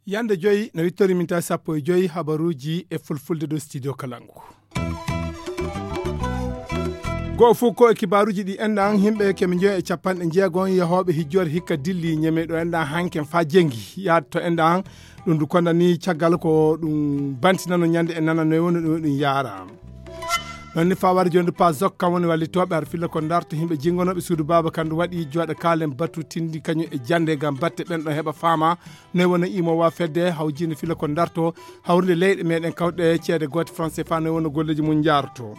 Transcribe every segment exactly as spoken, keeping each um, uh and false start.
Yande joyi no wittori min tawi sappo e joyi habaruuji e fulfulde ɗo studio Kalangu. Goo fof ko e kibaaruuji ɗi enɗan, yimɓe keme joyi e capanɗe jeego on yahooɓe hijjoore hikka dilli ñeme ɗo enɗan hanken faa jengi yaade to enɗan. Ɗum ndu konda ni caggal ko ɗum bantinano ñande e nananoy woni ɗum ɗum yaara. Noon ni faa wari jooni pa zok kam woni wallitooɓe har filla ko ndarto yimɓe jingonooɓe suudu baaba kandu waɗi jooɗa kaalen batu tindi kañum e jannde ngam batte ɓen ɗo heɓa faama noy wona imo wa fedde hawjinde filla ko ndarto hawrinde leyɗe meɗen kawɗe ceede goote français fa noy wona golleji mum njaarto.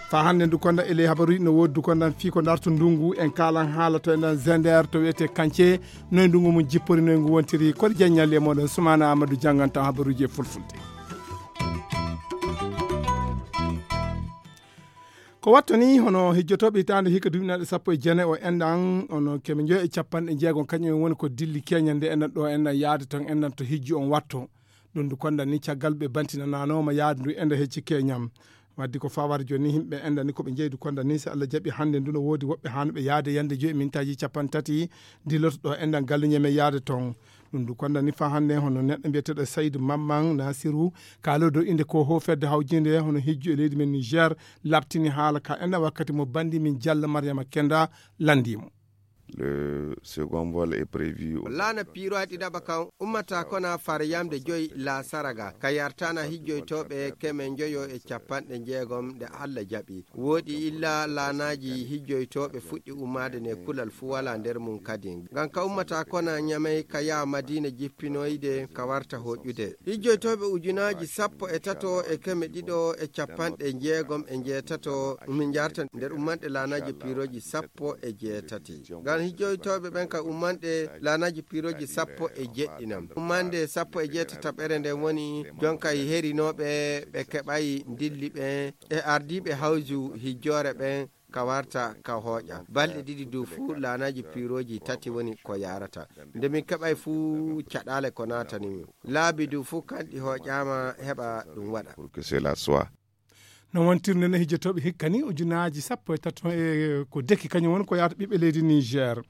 Fa hannde ndu konda e ley habaruji no woodi ndu kondan fii ko ndarto ndungu en kaalan haala to enɗan zender to wiyete kance noy ndungu mum jippori noy ngu wontiri kodi jaññalli e moɗon sumana amadou janngantan habaruji e fulfulde. Ko wattani hono hijjotooɓe hitaande hikka duuɓi naɗe sappo e jeenayi o enɗan ono keme njoyo e capanɗe jeegom kañum en woni ko dilli keñande enɗan ɗo enɗan yaade ton enɗan to hijju on watto. Ɗum ndu kondan ni caggal ɓe bantinananooma yaade ndu enɗan hecci keñam. Waddi ko fawar jooni ni yimɓe enɗan ni ko ɓe jeydu kondan ni si allah jaɓi hannde ndu no woodi woɓɓe hanuɓe yaade yande joyi mintaji capanɗe tati dilloto ɗo enɗan galluñe men yaade ton. Ɗum ndu kondan ni fa hannde hono neɗɗo mbiyeteɗo saydu mamman nasiru kaalo dow innde ko ho fedde hawjinde hono hijju e leydi men niger labtini haala ka enɗan wakkati mo bandi min jalla mariama kenda landimo. Le second vol est prévu. Laana piiroaɗi ɗaɓa kan ummata kona far yamde joyi la saraga ka yartana hijjoytoɓe keme njoyo e capanɗe jeegom nde allah jaɓi. Woɗi illa laanaji hijjoytoɓe fuɗɗi ummade nde kulal fu wala nder mum kadi. Ngam ka ummata kona ñamey ka yaha madina jippinoyde ka warta hoƴude. Hijjoytoɓe ujunaji sappo e tato e keme ɗiɗo e capanɗe jeegom e jeetato min jarta nder ummanɗe laanaji piroji sappo e jeetati. Ngam hijjoytoɓe ɓen ka ummanɗe laanaji piroji sappo e jeɗɗinam ummande sappo e jeetataɓere nden woni jonka herinoɓe ɓe keɓayi dilli ɓen e ardiiɓe hawju hijjoore ɓen ka warta ka hooƴa balɗe ɗiɗi du fuu laanaji piroji tati woni ko yarata. Nde min keɓay fuu caɗaale ko naatani min laabi du fuu kanɗi hooƴaama heɓa ɗum waɗa. Pour que cela soit. No wontirnde ne hijjotooɓe hikka ni ujunaaji sappo e tato e ko deki kañum woni ko yahata ɓiɓɓe leydi niger.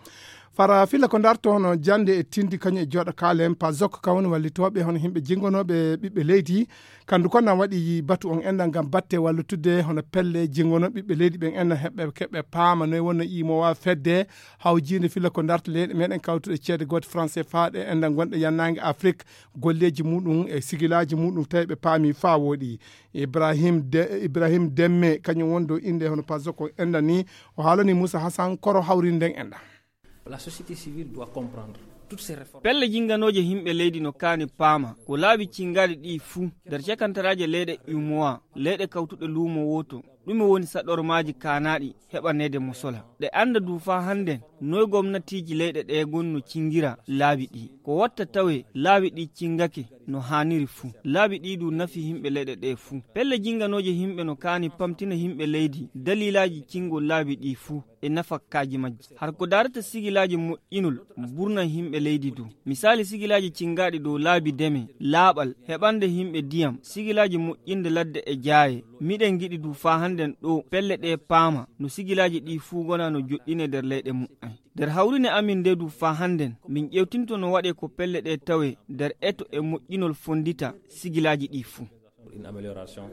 Fara filla ko darto hono jannde e tindi kañum e jooɗo kaalen pazok kawni wallitooɓe hono yimɓe jingonooɓe ɓiɓɓe leydi. Kandu kon nan waɗi batu on enɗan ngam batte wallitude hono pelle jingonooɓe ɓiɓɓe leydi ɓen enɗan heɓɓe keɓɓe paama noy wonno imowa fedde hawjiinde filla ko darta leyɗe meɗen kawtuɗe ceede goote français faaɗe enɗan gonɗe yannaange afrik. Golleeji muɗum e sigilaaji muɗum tawi ɓe paami faa wooɗi. Ibrahim de ibrahim demme kañum woni dow innde hono pazok on enɗan ni o haalani moussa hassan koro hawrinde nden enɗan. La société civile doit comprendre toutes ces réformes. Pelle jinganooje yimɓe leydi no kaani paama ko laabi cingaɗi ɗi fuu nder cakantaraaje leyɗe umowa leyɗe kawtuɗe luumo wooto. Ɗume woni saɗormaaji kaanaaɗi heɓaneede mosola ɗe annda du faa hannden noy gomnatiiji leyɗe ɗe gonno cingira laabi ɗi ko watta tawe laabi ɗi cingake no haaniri fuu laabi ɗi du nafi yimɓe leyɗe ɗe fuu. Pelle jinganooje yimɓe no kaani pamtina yimɓe leydi daliilaaji cingol laabi ɗi fuu e nafakkaaji majji har ko daarata sigilaaji moƴƴinol burna yimɓe leydi du. Misaali sigilaaji cingaaɗi dow laabi deme laaɓal heɓande yimɓe diyam sigilaaji moƴƴinde ladde e jaaye. Miɗen ngiɗi du faa hannden ɗo pelle ɗe paama no sigilaaji ɗi fuu gona no joɗɗine nder leyɗe muɓɓen. Nder hawrine amin nde du faa hannden min ƴewtinto no waɗe ko pelle ɗe tawe nder eto e moƴƴinol fonndita sigilaaji ɗi fuu. Une amélioration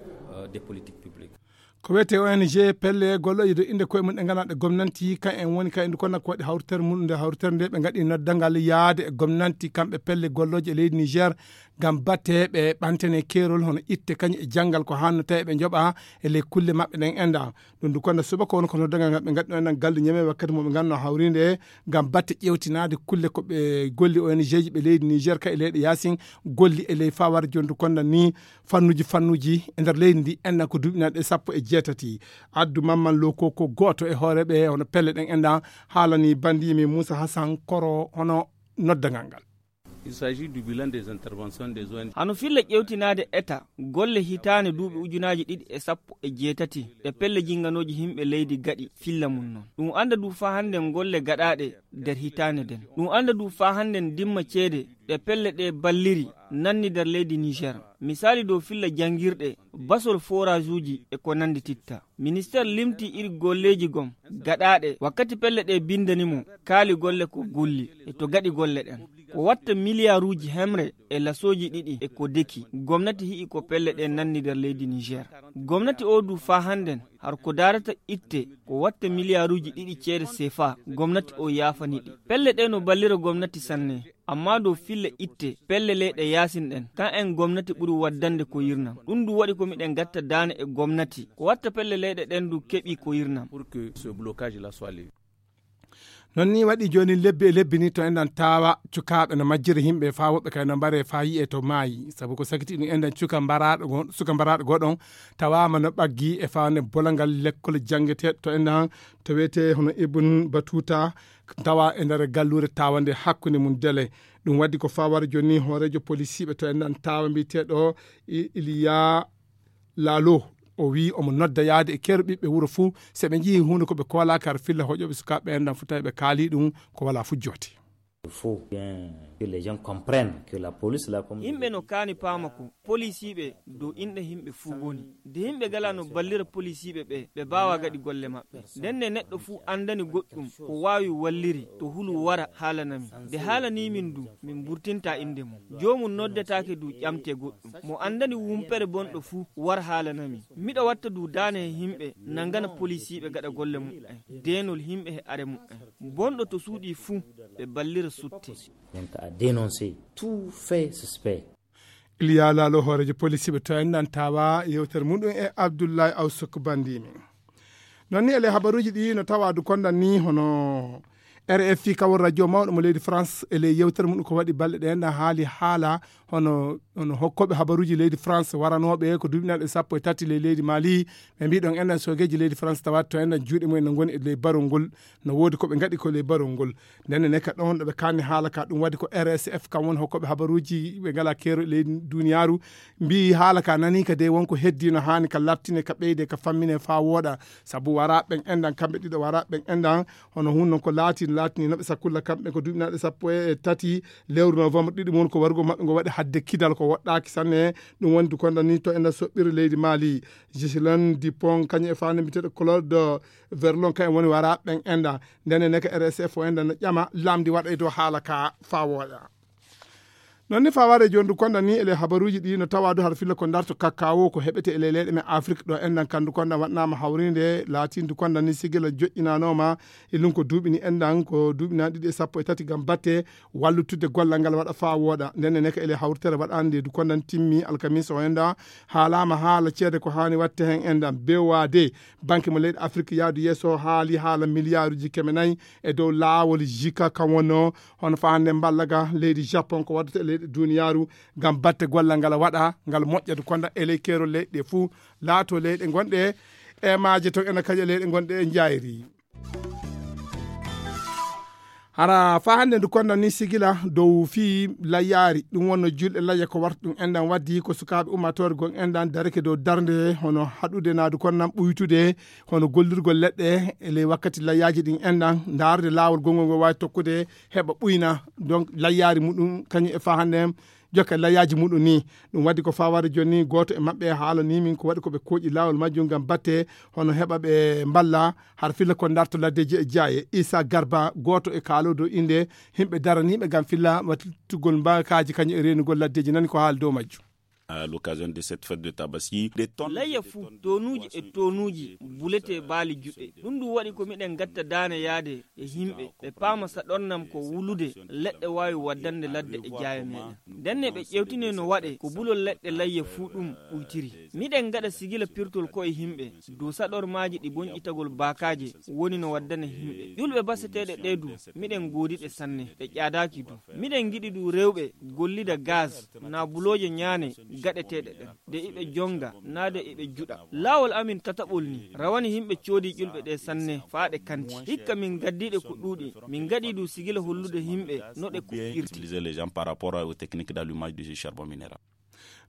des politiques publiques. Ko wiyetee ong pelle gollooje dow innde koye mum ɗe ngana ɗe gomnanti kan en woni kan en ndu konna ko waɗi hawritere mum nde hawritere nde ɓe ngaɗi noddangal yaade e gomnanti kamɓe pelle gollooje e leydi niger. Ngam batte ɓe ɓantene keerol hono itte kañum e janngal ko hanno tawi ɓe njoɓa e ley kulle maɓɓe ɗen enɗan. Ɗum ndu konna suba ko woni ko noddangal ngal ɓe ngaɗɗo enɗan gallu ñame wakkati mo ɓe nganno hawrinde ngam batte ƴewtinaade kulle ko ɓe golli ong ji ɓe leydi niger ka e leyɗe yaasin golli e ley fawar jondu konna ni fannuji fannuji e nder leydi ndi enɗan ko duuɓi naɗe sappo e jeetati. Addu mamman loko ko gooto e hooreɓe hono pelle ɗen enɗan haalani bandimi moussa hassan koro hono noddagal ngal. Il s'agit du bilan des interventions des O N G. Hano filla ƴewtinaade eta golle hitaande duuɓi ujunaaji ɗiɗi e sappo e jeetati ɗe pelle jinnganooji yimɓe leydi gaɗi filla mum noon. Ɗum annda du faa hannden golle gaɗaaɗe nder hitaande nden. Ɗum annda du faa hannden dimma ceede ɗe pelle ɗe balliri nanni nder leydi Niger. Misaali dow filla janngirɗe, basol foraajuuji e ko nanndi titta. Ministeer limti iri golleeji gom gaɗaaɗe wakkati pelle ɗe binndani mo kaali golle ko golli e to gaɗi golle ɗen. Ko watta miliyaaruuji hemre e lasooji ɗiɗi e ko deki, gomnati hi'i ko pelle ɗe nanni nder leydi Niger. Gomnati o du faa hannden har ko daarata itte ko watta miliyaaruuji ɗiɗi ceede sefa, gomnati o yaafani ɗi. Pelle ɗe no ballira gomnati sanne, amma dow fille itte pelle leyɗe yaasin ɗen, kan en gomnati ɓuri waddande ko yirnam. Ɗum du waɗi ko miɗen gatta daane e gomnati, ko watta pelle leyɗe ɗen du keɓi ko yirnam. Pour que ce blocage là soit levé. Noon ni waɗi jooni lebbi e lebbi ni to enɗan tawa cukaaɓe no majjiri yimɓe faa woɓɓe kay no mbare faa yi'e to maayi. Sabu ko sakiti ɗum enɗan cuka mbaraaɗo go-, suka mbaraaɗo goɗon tawaama no ɓaggi e faa ne bolangal lekkol janngeteeɗo to enɗan to wiyetee hono Ibn Batuta tawa e nder galluure tawande hakkunde mum dele. Ɗum waɗi ko faa wara jooni hooreejo polisiiɓe to enɗan tawa mbiyeteeɗo I-, Iliya Laalo, o wiyi omo nodda yahde e keerol ɓiɓɓe wuro fuu, so ɓe njiyii huunde ko ɓe koolaaka, har filla hoƴooɓe sukaaɓe ɓeen ɗam fuu tawi ɓe kaalii ɗum ko walaa fuu joote. Il faut bien que les gens comprennent que la police, la, comme yimɓe no kaani paama ko polisiiɓe dow inɗe yimɓe fuu ngoni. Nde yimɓe ngalaa no ballira polisiiɓe ɓe, ɓe mbaawaa gaɗi golle maɓɓe. Nden ne neɗɗo fuu anndani goɗɗum ko waawi walliri to hulu wara haalana min. Nde haalanii min du, min mburtinta innde mum. Joomum noddetaake du ƴamtee goɗɗum. Mo anndani wumpere bonɗo fuu war haalana min. Miɗo watta du daane he yimɓe nangana polisiiɓe gaɗa golle muɓɓen. Deenol yimɓe he are muɓɓen. Bonɗo to suuɗii fuu ɓe ballira sutte. Donc à dénoncer tout fait suspect. Iliya Laalo hooreejo polisiiɓe to en nan tawa yewtere muɗum e Abdullahi Awsuk Bandimi. Noon ni ele habaruuji ɗi no tawa du kondan ni hono R F I kawol radio mawɗo mo leydi France e ley yewtere muɗum ko waɗi balɗe ɗe enɗan haali haala hono, hono hokkooɓe habaruuji leydi France waranooɓe ko duuɓinaaɗe sappo e tati ley leydi Mali. Ɓe mbii ɗon enɗan soogeeji leydi France tawa to enɗan juuɗe mumen no ngoni e ley barol ngol, no woodi ko ɓe ngaɗi ko ley barol ngol. Nden ne ka ɗon ɗo ɓe kaanni haala ka ɗum waɗi ko R S F kam woni hokkooɓe habaruuji ɓe ngalaa keerol ley duniyaaru. Mbii haala ka nanii ka dey wonko heddii no haani ka laɓtine ka ɓeyde ka fammine faa wooɗa. Sabu waraaɓe ɓen enɗan kamɓe ɗiɗo waraaɓe ɓen enɗan hono hun non ko laati laatini no ɓe sakkulla kamɓe ko duuɓinaaɗe sappo e tati lewru novembre ɗiɗi mum ko warugol maɓɓe ngo waɗi hadde kidal ko woɗɗaaki sanne. Ɗum woni du kondan ni to enɗan soɓɓiri leydi Mali. Giseline Dupont kañum e faande mbiyeteeɗo Claude Verlon kañum woni waraaɓe ɓen enɗan. Nden ne ka R S F o enɗan no ƴama lamndi waɗa e dow haala ka faa wooɗa. Noon ni faa ware jooni du kondan ni ele habaruuji ɗi no tawa du har filla ko darto kakkawo ko heɓete ele leyɗe men Afrik ɗo enɗan kan du kondan waɗnaama hawrinde laatin du kondan ni sigila joƴƴinanooma e lunko duuɓi ni enɗan ko duuɓi nan ɗiɗi e sappo e tati ngam batte wallutude gollal ngal waɗa faa wooɗa. Nden ne ka ele hawritere waɗande du kondan timmi alkamisa o enɗan haalaama haala ceede ko haani watte heen enɗan B O A D banque mo leyɗe Afrik yaadu yeeso haali haala miliyaaruuji keme nayi e dow laawol jika kan wonno hono faa hannde mballaga leydi Japon ko waddata e leyɗe duniyaaru ngam batte gollal ngal waɗa ngal moƴƴa du kondan e ley keerol leyɗe ɗe fuu laato leyɗe ngonɗe e maaje ton ena kañe leyɗe ngonɗe e njayri. Hara faa hannde ndu kondan ni sigila dow fii layyaari ɗum wonno julɗe layya ko warta ɗum enɗan waddi ko sukaaɓe ummaatoore gon enɗan darake dow darnde hono haɗude naadu kondan ɓuytude hono gollirgol leɗɗe e ley wakkati layyaaji ɗin enɗan ndaarde laawol gonngol ngol waawi tokkude heɓa ɓuyna donc layyaari muɗum kañum e faa hannde jokka layyaaji muɗum ni. Ɗum waɗi ko faa ware jooni gooto e maɓɓe haalanii min ko waɗi ko ɓe kooƴi laawol majjum ngam batte hono heɓa ɓe mballa har filla ko darto laddeeji e jaaye. Issa Garba gooto e kaaloodo innde yimɓe daraniiɓe ngam filla wattugol mbaakaaji kañum e reenugol laddeeji nani ko haali dow majjum. À l'occasion de cette fête de Tabaski, des tonnes layya fuu tonuuji e tonuuji buletee baali juɗɗe. Ɗum ɗum waɗi ko miɗen gatta daane yaade e yimɓe ɓe paama saɗornam ko wulude leɗɗe waawi waddande ladde e jaaye meɗen. Ndenne ɓe ƴewtine no waɗe ko bulol leɗɗe layya fuu ɗum ɓuytiri. Miɗen gaɗa sigila pirtol koye yimɓe dow saɗormaaji ɗi bonƴitagol baakaaje woni no waddana yimɓe. Ƴulɓe baseteeɗe ɗe du miɗen goodi ɗe sanne, ɗe ƴaadaaki du. Miɗen ngiɗi du rewɓe gollida gaz naa bulooje ñaane gaɗeteeɗe ɗen, de iɓe jonga, naa de iɓe juɗa. Laawol amin tataɓol ni, rawani yimɓe coodi ƴulɓe ɗe sanne, faa ɗe kanti. Hikka min gaddii ɗe ko ɗuuɗi, min gaɗii du sigila hollude yimɓe no ɗe kuɓɓirte. Utiliser les gens par rapport aux techniques d'allumage du charbon minéral.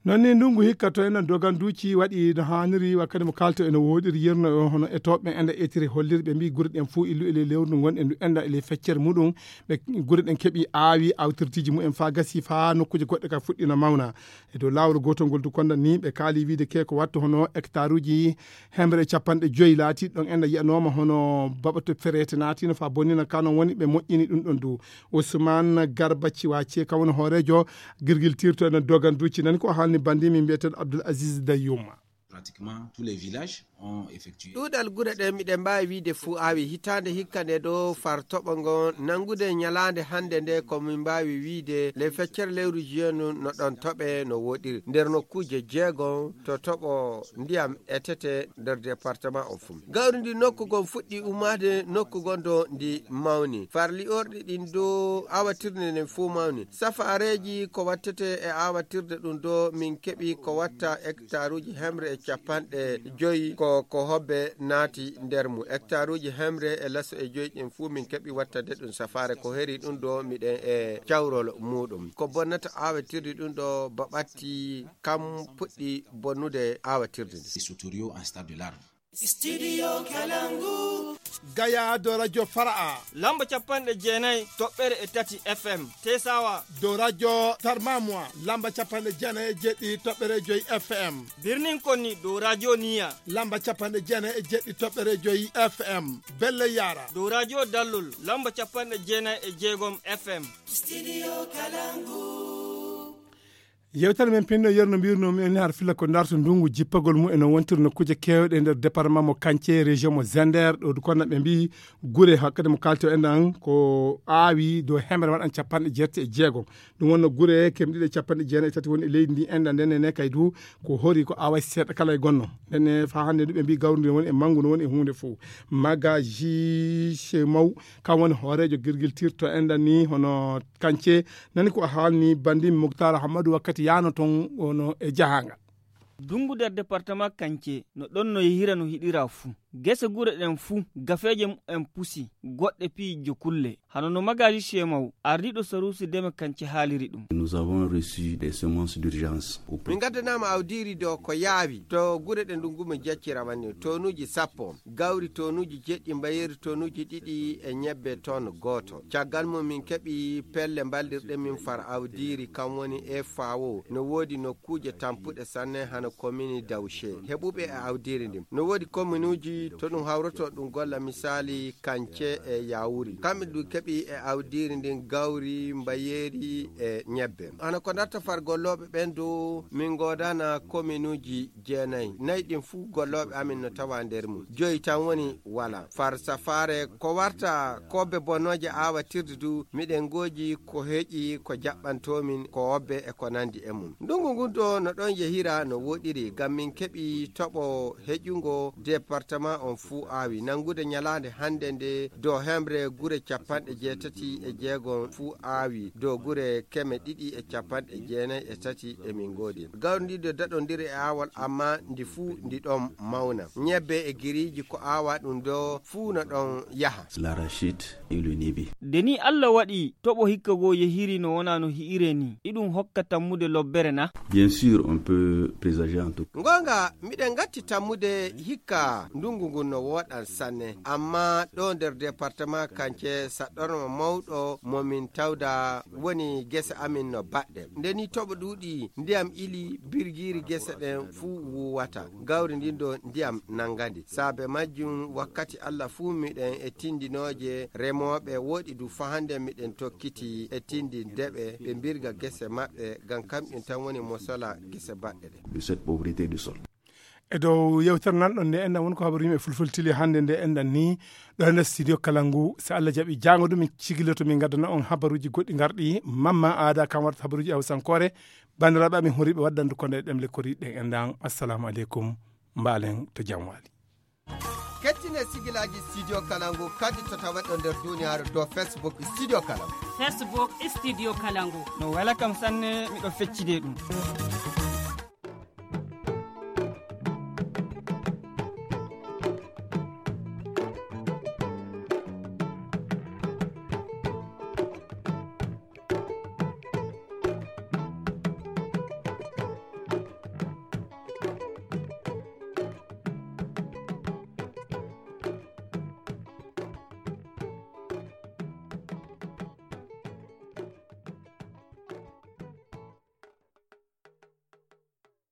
Noon ni ndunngu hikka to enen doganduuji waɗi no haaniri, wakkati mo kaalto ene wooɗiri yirno o hono e toɓɓe enda etiri holliri ɓe mbi gure ɗen fof illu e ley lewru ndu ngonɗen ndu enda e ley feccere muɗum. Ɓe gure ɗen keɓi aawi awtirtiji mumen faa gasi faa nokkuuje goɗɗe ka fuɗɗino mawna. E dow laawol gootol ngol du konda ni ɓe kaali wiide ke ko wattu hono hectare uji hemre capanɗe joyi laati ɗon enda yiyanoma hono baɓato ferete naatino faa bonnina ka non woni ɓe moƴƴini ɗum ɗon du. Ousmane Garba Ciwace, kam woni hooreejo girgiltirto enen doganduuji, nani ko haalni banndiimi mbiyeteeɗo Abdoul Aziz Dayouma. Pratiquement tous les villages ont effectué. Ɗuuɗal gure ɗen miɗen mbaawi wiide fuu aawi hitaande hikka nde ɗo far toɓo ngon nanngude ñalaande hannde nde ko min mbaawi wiide le feccere lewru juin no ɗon toɓe no woɗiri nder nokkuuje jeegom to toɓo ndiyam etete nder département on fuu. Gawri ndi nokku gon fuɗɗi ummaade nokku gon do ndi mawni. Farli orɗi ɗin do awatirde nden fuu mawni. Safaareeji ko wattete e awatirde ɗum do min keɓi ko watta hectaruuji hemre e capanɗe joyi ko, ko hobbe naati nder mu. Hectaruuji hemre e laso e joyi ɗin fuu min keɓi wattade ɗum safaare ko heri ɗum do miɗen e cawrol muɗum. Ko bonnata awatirde ɗum do baɓatti kam puɗɗi bonnude awatirde nde. Sotorio en stade de larve. Studio Kalangu. Gaya do radio Fara'a. Lamba capanɗe jeenayi toɓɓere e tati F M. Tesawa. Do radio Tarmamwa. Lamba capanɗe jeenayi e jeɗɗi toɓɓere joyi F M. Birnin Konni do radio Niya. Lamba capanɗe jeenayi e jeɗɗi toɓɓere joyi F M. Belle Yara. Do radio Dallol. Lamba capanɗe jeenayi e jeegom F M. Studio Kalangu. Yewtere men pinno yerno mbirno mi en har filla ko darto ndungu jippagol mu en wontir nokkuuje keewɗe nder département mo Kance, région mo Zender, ɗo du konna ɓe mbi gure hakkade mo kalto en ɗan ko aawi do hemre waɗan capanɗe jeetati e jeegom. Ɗum wonno gure kemɗiɗe capanɗe jeenayi e tati woni e leydi ndi en ɗan nden ne kay du ko hori ko aawa seeɗa kala e gonno. Nden ne fa hannde du ɓe mbi gawri ndi woni e mangu no woni e huunde fof. Magaji Shemau kam woni hooreejo girgiltirto en ɗan ni hono Kance. Nani ko haalni banndi Muktar Ahmadu wakkati yaano ton ono e jahaangal. Dungu nder département Kance no ɗon no yehira no hiɗira fuu. Gese gure ɗen fuu, gafeeje mumen pusi, goɗɗe piiji jokulle. Hano no magaji Shemau, ardiiɗo saruusi deme Kance haaliri ɗum. Nous avons reçu des semences d'urgence. Min ngaddanaama awdiiri do ko yaawi to gure ɗe ndungu mo jeccira wani tonuuji sappo. Gawri tonuuji jeɗɗi, mbayeeri tonuuji ɗiɗi e ñebbe ton gooto. Caggal mum min keɓi pelle mballirɗe min far awdiiri, kam woni F A O. No woodi nokkuuje tampuɗe sanne hano komini Dawce. Heɓuɓe e awdiiri ndin. No woodi kominuuji to ɗum hawroto ɗum golla misaali Kance e Yawuri. Kamɓe du keɓi e awdiiri ndin gawri, mbayeeri e ñebbe. Hano ko darta far gollooɓe ɓen du min ngoodana kominuuji jeenayi. Nayi ɗin fuu gollooɓe amin no tawa nder mum. Joyi tan woni wala. Far safaare ko warta kobbe bonnooje aawatirde du, miɗen gooji ko heƴi ko jaɓɓantoomin ko wobbe e ko nandi e mum. Ndungu ngun do no ɗon yehira no woɗiri, ngam min keɓi toɓo heƴungo département on fuu aawi. Nangude ñalaande hannde nde do hemre gure capanɗe jeetati e jeegom fuu aawi, do gure keme ɗiɗi e capanɗe jeenayi e tati e min ngoodi. Gawri ndi do daɗondiri e aawol, amma ndi fuu ndi ɗon mawna. Ñebbe e giriiji ko aawa ɗum do fuu no ɗon yaha. L'arachide et le nibi. Nde ni Allah waɗi toɓo hikka goo yehiri no wona no hi'ire ni, iɗum hokka tammude lobbere na? Bien sûr, on peut présager en tout cas. Ngonga, miɗen ngatti tammude hikka ndungu ngun no woɗan sanne, amma ɗo nder département Kance saɗɗorma mawɗo mo min tawda woni gese amin no baɗɗe. Nde ni toɓo ɗuuɗi, ndiyam ili, birgiiri gese ɗen fuu wuwata. Gawri ndin do ndiyam nangandi. Saabe majjum wakkati Allah fuu miɗen e tindinooje remooɓe woɗi du fa hande miɗen tokkiti e tindinde ɓe, ɓe mbirga gese maɓɓe, ngam kamɓe tan woni mosola gese baɗɗe ɗe. De cette pauvreté du sol. E dow yewtere nan ɗon nde enɗan woni ko habaru yimɓe fulfultili hannde nde enɗan ni ɗo e nder studio kala ngu. So Allah jaɓi jaango ɗum min cigiloto min ngaddana on habaruuji goɗɗi ngarɗi. Mamma Aada kam waɗata habaruuji hawsankoore. Banndiraaɓe amin horiiɓe waddandu kono e ɗemle koriiɗe ɗen enɗan. Assalamu aleykum. Mbaalen to jam waali. Kettine sigilaaji studio kala ngu kadi to tawa ɗo nder duniyaaru dow Facebook studio kala ngu. Facebook studio kala ngu. No wela kam sanne miɗo feccide ɗum.